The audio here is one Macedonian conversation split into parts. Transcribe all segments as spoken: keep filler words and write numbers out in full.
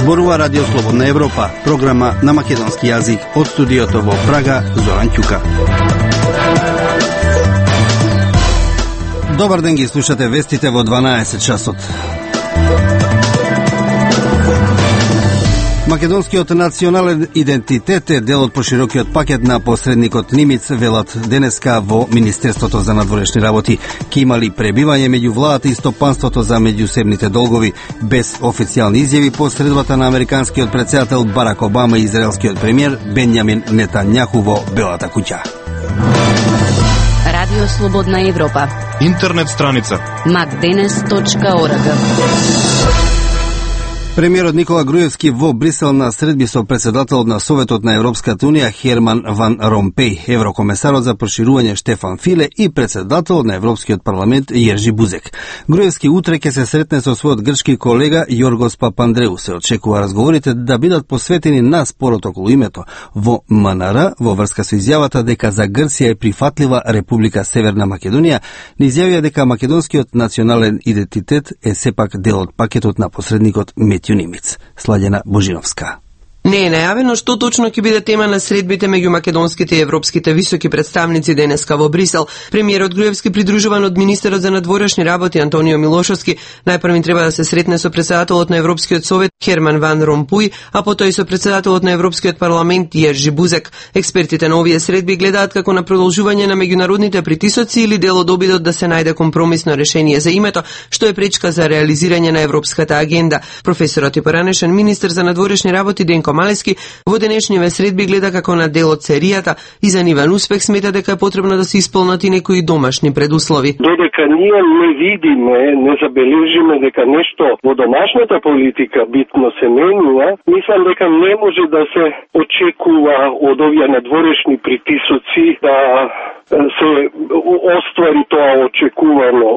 Зборува Радио Слободна Европа, програма на македонски јазик од студиото во Прага, Зоран Ќука. Добар ден, ги слушате вестите во дванаесет часот. Македонскиот национален идентитет е дел од поширокиот пакет на посредникот Нимиц, велат денеска во Министерството за надворешни работи. Ке имали пребивање меѓу владата и стопанството за меѓусебните долгови, без официјални изјави по средбата на американскиот претседател Барак Обама и израелскиот премиер Бенјамин Нетањаху во Белата куќа. Радио Слободна Европа. Интернет страница макденес точка орг. Премиерот Никола Груевски во Брисел на средби со председателот на Советот на Европската Унија Херман Ван Ромпеј, еврокомесарот за проширување Штефан Филе и председателот на Европскиот парламент Јержи Бузек. Груевски утре ќе се сретне со својот грчки колега Јоргос Папандреу. Се очекува разговорите да бидат посветени на спорот околу името во М Н Р во врска со изјавата дека за Грција е прифатлива Република Северна Македонија. Не изјавија дека македонскиот национален идентитет е сепак дел од пакетот на посредникот Нимиц. Сладена Божиновска. Не е најавено што точно ќе биде тема на средбите меѓу македонските и европските високи представници денеска во Брисел. Премиерот Груевски, придружуван од министерот за надворешни работи Антонио Милошовски, најпрвин треба да се сретне со председателот на Европскиот совет Херман Ван Ромпуј, а потоа и со председателот на Европскиот парламент Јержи Бузек. Експертите на овие средби гледаат како на продолжување на меѓународните притисоци или дел од обидот да се најде компромисно решение за името, што е пречка за реализирање на европската агенда. Професорот и поранешен министер за надворешни работи Денко Малески во денешниве средби гледа како на дел од серијата и за нивен успех смета дека е потребно да се исполнат и некои домашни предуслови. Додека ние не видиме, не забележиме дека нешто во домашната политика битно се менува, мислам дека не може да се очекува од овие надворешни притисоци да се оствари тоа очекувано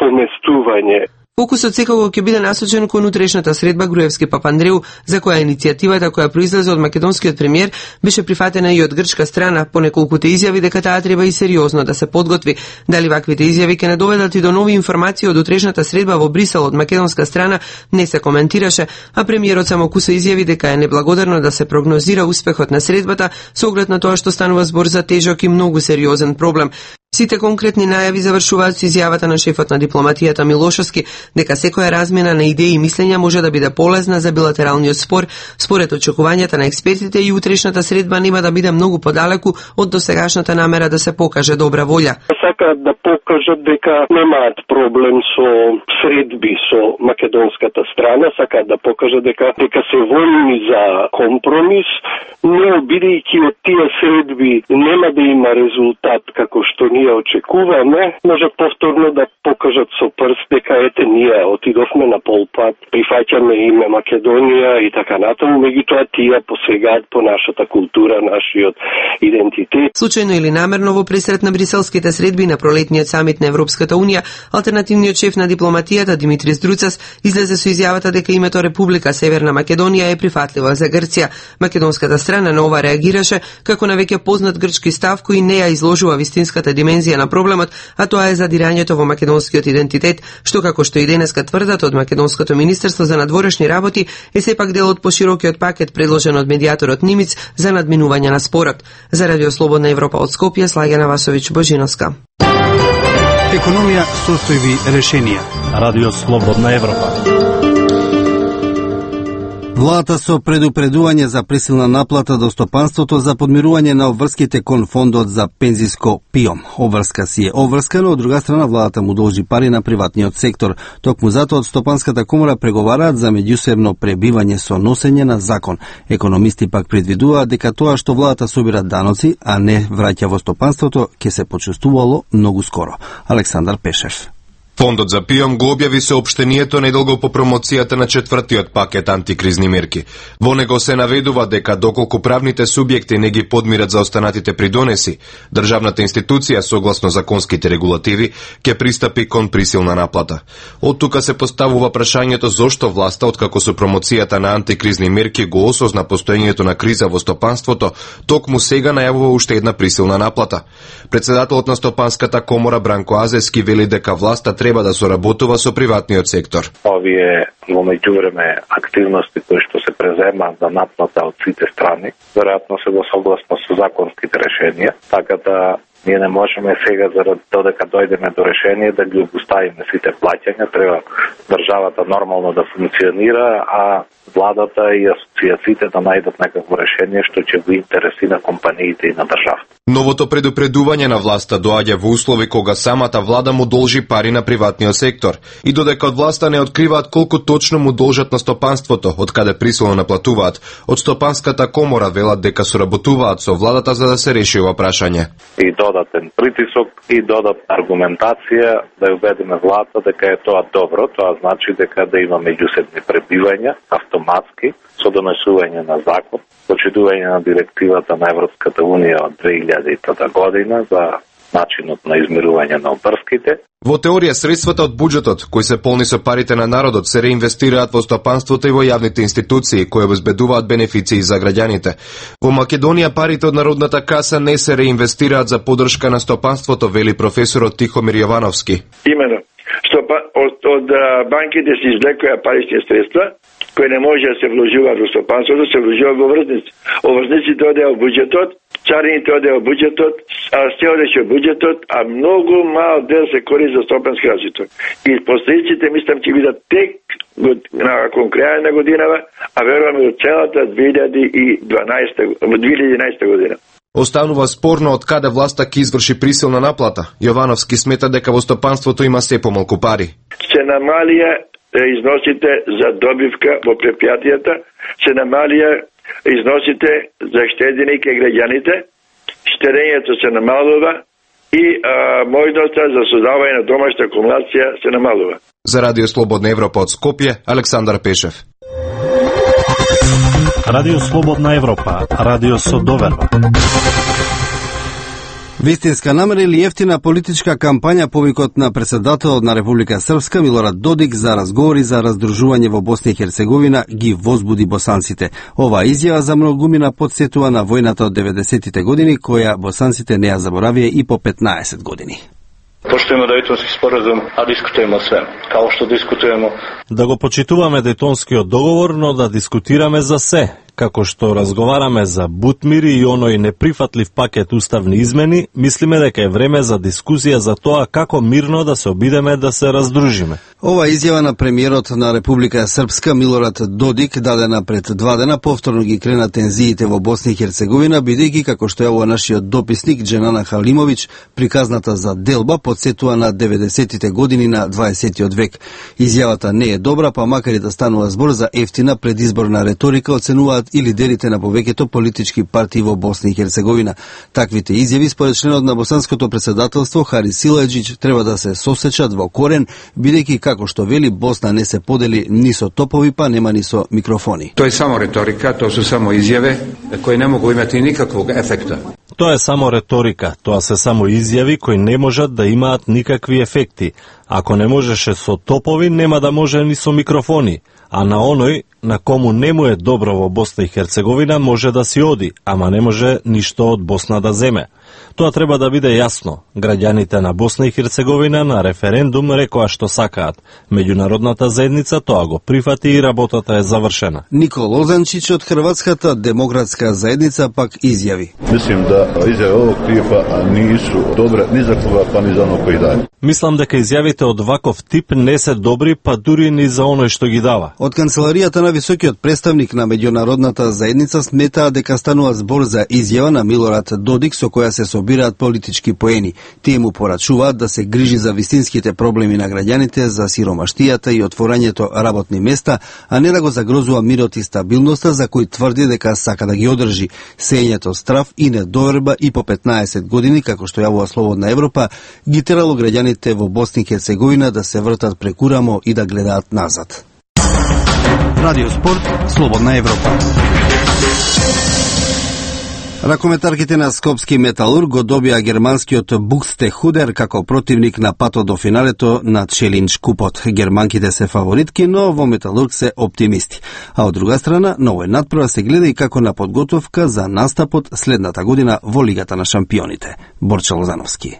поместување. Фокусот секако ќе биде насочен кон утрешната средба Груевски Папандреу, за која иницијативата која произлезе од македонскиот премиер беше прифатена и од грчка страна, по неколкуте изјави дека таа треба и сериозно да се подготви. Дали ваквите изјави ќе не доведат и до нови информации од утрешната средба во Брисел од македонска страна, не се коментираше, а премиерот само куса изјави дека е неблагодарно да се прогнозира успехот на средбата со оглед на тоа што станува збор за тежок и многу сериозен проблем. Сите конкретни најави завршуваат со изјавата на шефот на дипломатијата Милошовски дека секоја размена на идеи и мислења може да биде полезна за билатералниот спор. Според очекувањата на експертите и утрешната средба нема да биде многу подалеку од досегашната намера да се покаже добра волја. Сакаат да покажат дека немаат проблем со средби со македонската страна, сакаат да покажат дека дека се воljни за компромис, но бидејќи од тие средби нема да има резултат како што ние очекуваме, може повторно да покажат со прст дека ете ние отидовме на полпат, прифаќаме име Македонија и така натаму, меѓутоа тие посегаат по нашата култура, нашиот идентитет. Случајно или намерно во пресрет на бриселските средби на пролетниот самит на Европската Унија, алтернативниот шеф на дипломатијата Димитрис Друцас излезе со изјавата дека името Република Северна Македонија е прифатливо за Грција. Македонската страна на ова реагираше како на веќе познат грчки став кој не ја изложува вистинската димензија на проблемот, а тоа е задирањето во македонскиот идентитет, што како што и денеска тврдат од Македонското министерство за надворешни работи е сепак дел од поширокиот пакет предложен од медијаторот Нимиц за надминување на спорот. За Радио Слободна Европа од Скопје, Слагена Васовиќ Божиновска. Економија, состојби, решенија. Радио Слободна Европа. Владата со предупредување за присилна наплата до стопанството за подмирување на обврските кон фондот за пензиско ПИОМ. Обврска си е обврска, но од друга страна владата му должи пари на приватниот сектор. Токму затоа од Стопанската комора преговараат за меѓусебно пребивање со носење на закон. Економисти пак предвидуваат дека тоа што владата собира даноци, а не враќа во стопанството, ќе се почувствувало многу скоро. Александар Пешев. Фондот за ПИОМ го објави соопштението недолго по промоцијата на четвртиот пакет антикризни мерки. Во него се наведува дека доколку правните субјекти не ги подмират за останатите придонеси, државната институција согласно законските регулативи ќе пристапи кон присилна наплата. Од тука се поставува прашањето зошто власта, откако со промоцијата на антикризни мерки го осозна постоењето на криза во стопанството, токму сега најавува уште една присилна наплата. Председателот на Стопанската комора Бранко Азески вели дека власта треба да соработува со приватниот сектор. Овие во меѓувреме активности кои што се преземаат за наплата од сите страни, веројатно се во согласно со законските решенија, така да ние не можеме сега заради додека дојдеме до решение да ги обуставиме сите плаќања, треба државата нормално да функционира, а владата и асоциациите да најдат некакво решение што ќе го интереси на компаниите и на државата. Новото предупредување на власта доаѓа во услови кога самата влада му должи пари на приватниот сектор и додека од власта не откриваат колку точно му должат на стопанството, од каде присилно наплатуваат, од Стопанската комора велат дека соработуваат со владата за да се реши ова прашање. И додатен притисок и додатна аргументација да ја убедиме владата дека е тоа добро, тоа значи дека да има меѓусебни пребивања автоматски со донесување на закон, почитување на директивата на Европската унија од две илјади и трета година за начинот на измерување на обврските. Во теорија, средствата од буџетот, кои се полни со парите на народот, се реинвестираат во стопанството и во јавните институции, кои обезбедуваат бенефиции за граѓаните. Во Македонија парите од Народната каса не се реинвестираат за поддршка на стопанството, вели професорот Тихомир Јовановски. Имено, стопа, од, од банките се извлекоја парични средства, кои не може да се вложува во стопанството, се вложува во врзници. Оврзниците одеа во буџетот, царините одеа во буџетот, а се одеше во буџетот, а многу мал дел се користи за стопански развиток. И последиците мислам ќе бидат тек након крај на годинава, а верувам и од целата две илјади и дванаесета година. Останува спорно од каде власта ќе изврши присилна наплата. Јовановски смета дека во стопанството има се помалку пари. Се намалија износите за добивка во предпријатијата, се намалија износите за штедење кај граѓаните, штедењето се намалува и а, можноста за создавање на домашна акумулација се намалува. За Радио Слободна Европа од Скопје, Александар Пешев. Радио Слободна Европа, радио со доверба. Вистинска намера или ефтина политичка кампања повикот на председателот на Република Српска Милорад Додик за разговори за раздружување во Босна и Херцеговина ги возбуди босанците. Оваа изјава за многумина потсетува на војната од деветдесетите години, која босанците не ја заборавија и по петнаесет години. Поштојме Дејтонски споразум, а дискутуємо све, као што дискутуємо. Да го почитуваме Дејтонскиот договор, но да дискутираме за се, како што разговараме за бутмири и оној неприфатлив пакет уставни измени, мислиме дека е време за дискусија за тоа како мирно да се обидеме да се раздружиме. Ова изјава на премиерот на Република Српска Милорад Додик дадена пред два дена повторно ги крена тензиите во Босна и Херцеговина, бидејќи како што јавува нашиот дописник Дженана Халимовиќ, приказната за делба подсетува на деветдесетите години на дваесеттиот век. Изјавата не е добра, па макар и да станува збор за ефтина предизборна реторика, оценуваат и лидерите на повеќето политички партии во Босна и Херцеговина. Таквите изјави според членот на босанското председателство Харис Силаџиќ треба да се сосечат во корен, бидејќи како што вели Босна не се подели ни со топови, па нема ни со микрофони. Тоа е само реторика, тоа се само изјави кои не могу имати никаквог ефекта. Тоа е само реторика, тоа се само изјави кои не можат да имаат никакви ефекти. Ако не можеше со топови, нема да може ни со микрофони. А на оној на кому не му е добро во Босна и Херцеговина може да си оди, ама не може ништо од Босна да земе. Тоа треба да биде јасно. Граѓаните на Босна и Херцеговина на референдум рекоа што сакаат. Меѓународната заедница тоа го прифати и работата е завршена. Никол Лозанчиć од Хрватската демократска заедница пак изјави. Мислим да изјавите овог типа нису добре ни за кога, па ни за оној кој даде. Мислам дека изјавите од ваков тип не се добри, па дури ни за оној што ги дава. Од канцеларијата на високиот представник на меѓународната заедница сметаа дека станува збор за изјава на Милорад Додик со која се побираат политички поени. Тие му порачуваат да се грижи за вистинските проблеми на граѓаните, за сиромаштијата и отворањето работни места, а не да го загрозува мирот и стабилноста за кој тврди дека сака да ги одржи. Сењето страв и недоверба и по петнаесет години, како што јавува Слободна Европа, ги терало граѓаните во Босна и Херцеговина да се вртат преку рамо и да гледаат назад. Радио Спорт, Слободна Европа. Ракометарките на Скопски Металург го добија германскиот Букстехудер како противник на патот до финалето на Челиндж купот. Германките се фаворитки, но во Металург се оптимисти. А од друга страна, на овој надпрва се гледа и како на подготовка за настапот следната година во Лигата на шампионите. Борче Лозановски.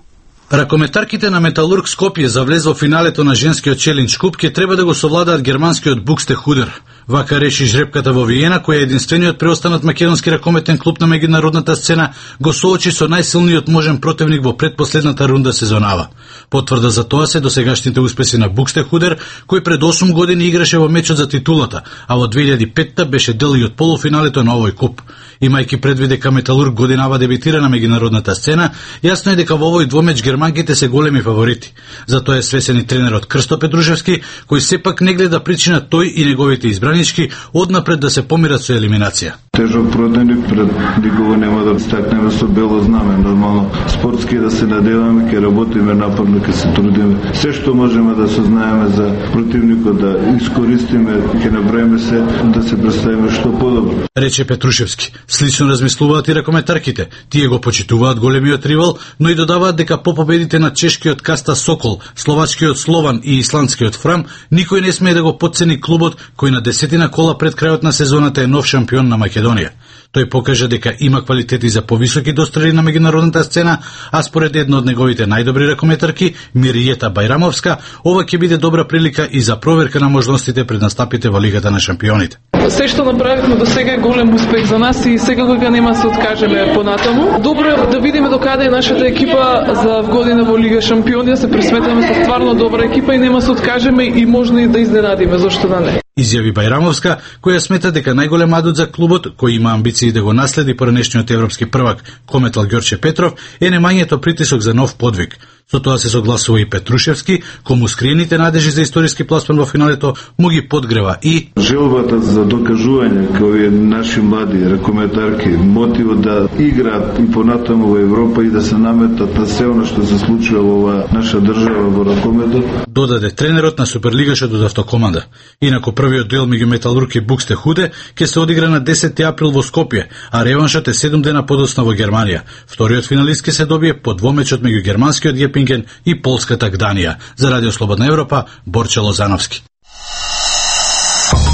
Ракометарките на Металург Скопје за влез во финалето на женскиот Челиндж куп ќе треба да го совладаат германскиот Букстехудер. Вака реши жребката во Виена, која е единствениот преостанат македонски ракометен клуб на меѓународната сцена, го соочи со најсилниот можен противник во предпоследната рунда сезонава. Потврда за тоа се досегашните успеси на Букстехудер, кој пред осум години играше во мечот за титулата, а во две илјади и петта беше дел и од полуфиналето на овој куп. Имајќи предвид дека Металург годинава дебитира на меѓународната сцена, јасно е дека во овој двомеч германките се големи фаворити. Затоа е свесен и тренерот Крсто Петрушевски, кој сепак не гледа причина тој и неговите избранички однапред да се помират со елиминација. Тежок противник, пред никога нема да стакнеме со бело знаме, нормално спортски да се надеваме, ќе работиме напорно, ќе се трудиме. Се што можеме да сознаеме за противникот да искористиме, ќе направиме се да се представиме што подобро. Рече Петрушевски. Слично размислуваат и ракометарките. Тие го почитуваат големиот ривал, но и додаваат дека по победите на чешкиот Каста Сокол, словачкиот Слован и исландскиот Фрам, никој не смее да го потцени клубот кој на десетина кола пред крајот на сезоната е нов шампион на Македонија. Тој покажа дека има квалитети за повисоки дострели на меѓународната сцена, а според една од неговите најдобри ракометарки, Миријета Бајрамовска, ова ќе биде добра прилика и за проверка на можностите пред настапите во Лигата на шампионите. Се што направивме до сега е голем успех за нас и секако нема се откажеме понатаму. Добро е да видиме докаде е нашата екипа за година во Лига шампиони, да се пресметаме со стварно добра екипа и нема се откажеме и можно и да изненадиме, зошто да не. Изјави Бајрамовска, која смета дека најголем адут за клубот, кој има амбиции да го наследи поранешниот европски првак Кометал Ѓорче Петров, е немањето притисок за нов подвиг. Со тоа се согласува и Петрушевски, кому скриените надежи за историски пласман во финалето му ги подгрева и желбата за докажување кои наши млади ракометарки, мотивот да играат и понатаму во Европа и да се наметат на се она што се случува во оваа наша држава во ракометот. Додаде тренерот на Суперлигашот од Автокоманда. Инаку првиот дуел меѓу Металург и Букстехуде ќе се одигра на десети април во Скопје, а реваншот е седум дена подоцна во Германија. Вториот финалист ќе се добие по двомечот меѓу германскиот Јепинген и полската Гданија. За Радио Слободна Европа, Борче Лозановски.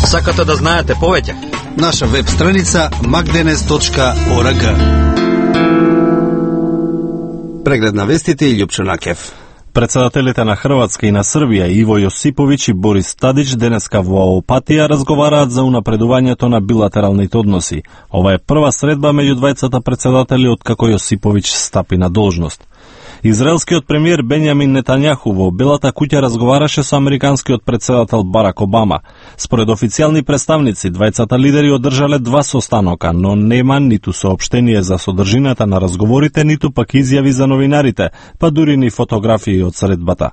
Сакате да знаете повеќе? Наша веб страница макденес точка орг. Преглед на вестите и Љупчо Накев. Председателите на Хрватска и на Србија Иво Јосиповиќ и Борис Тадич денеска во Опатија разговараат за унапредувањето на билатералните односи. Ова е прва средба меѓу двајцата председатели откако Јосиповиќ стапи на должност. Израелскиот премиер Бенјамин Нетањаху во Белата куќа разговараше со американскиот председател Барак Обама. Според официјални представници, двајцата лидери одржале два состанока, но нема ниту соопштение за содржината на разговорите, ниту пак изјави за новинарите, па дури ни фотографии од средбата.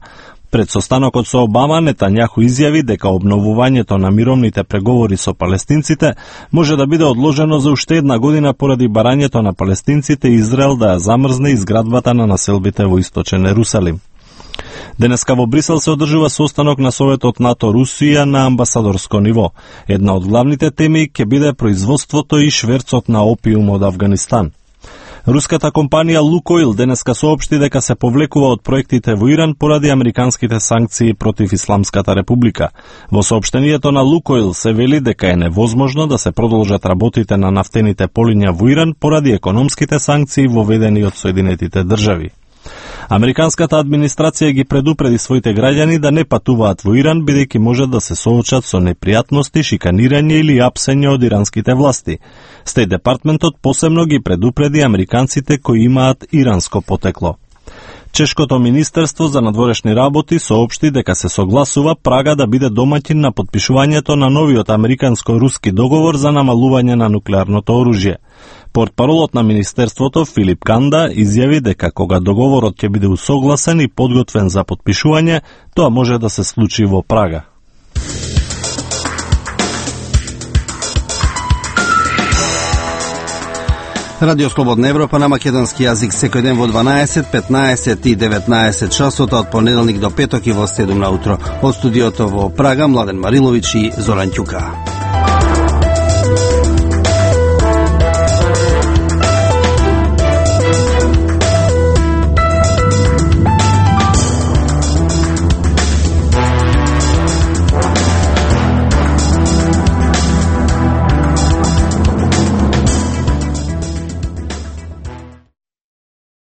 Пред состанокот со Обама, Нетањаху изјави дека обновувањето на мировните преговори со палестинците може да биде одложено за уште една година поради барањето на палестинците и Израел да ја замрзне изградбата на населбите во источен Ерусалим. Денеска во Брисел се одржува состанок на Советот НАТО-Русија на амбасадорско ниво. Една од главните теми ќе биде производството и шверцот на опиум од Авганистан. Руската компанија Лукойл денеска соопшти дека се повлекува од проектите во Иран поради американските санкции против Исламската република. Во соопштението на Лукойл се вели дека е невозможно да се продолжат работите на нафтените полиња во Иран поради економските санкции воведени од Соединетите држави. Американската администрација ги предупреди своите граѓани да не патуваат во Иран, бидејќи можат да се соочат со непријатности, шиканирање или апсење од иранските власти. Стејт департментот посебно ги предупреди американците кои имаат иранско потекло. Чешкото министерство за надворешни работи соопшти дека се согласува Прага да биде домаќин на подпишувањето на новиот американско-руски договор за намалување на нуклеарното оружје. Портпаролот на Министерството Филип Канда изјави дека кога договорот ќе биде усогласен и подготвен за подпишување, тоа може да се случи во Прага. Радио Слободна Европа на македонски јазик секој ден во дванаесет, петнаесет и деветнаесет часот од понеделник до петок и во седум наутро. Од студиото во Прага Младен Мариловиќ и Зоран Ќука.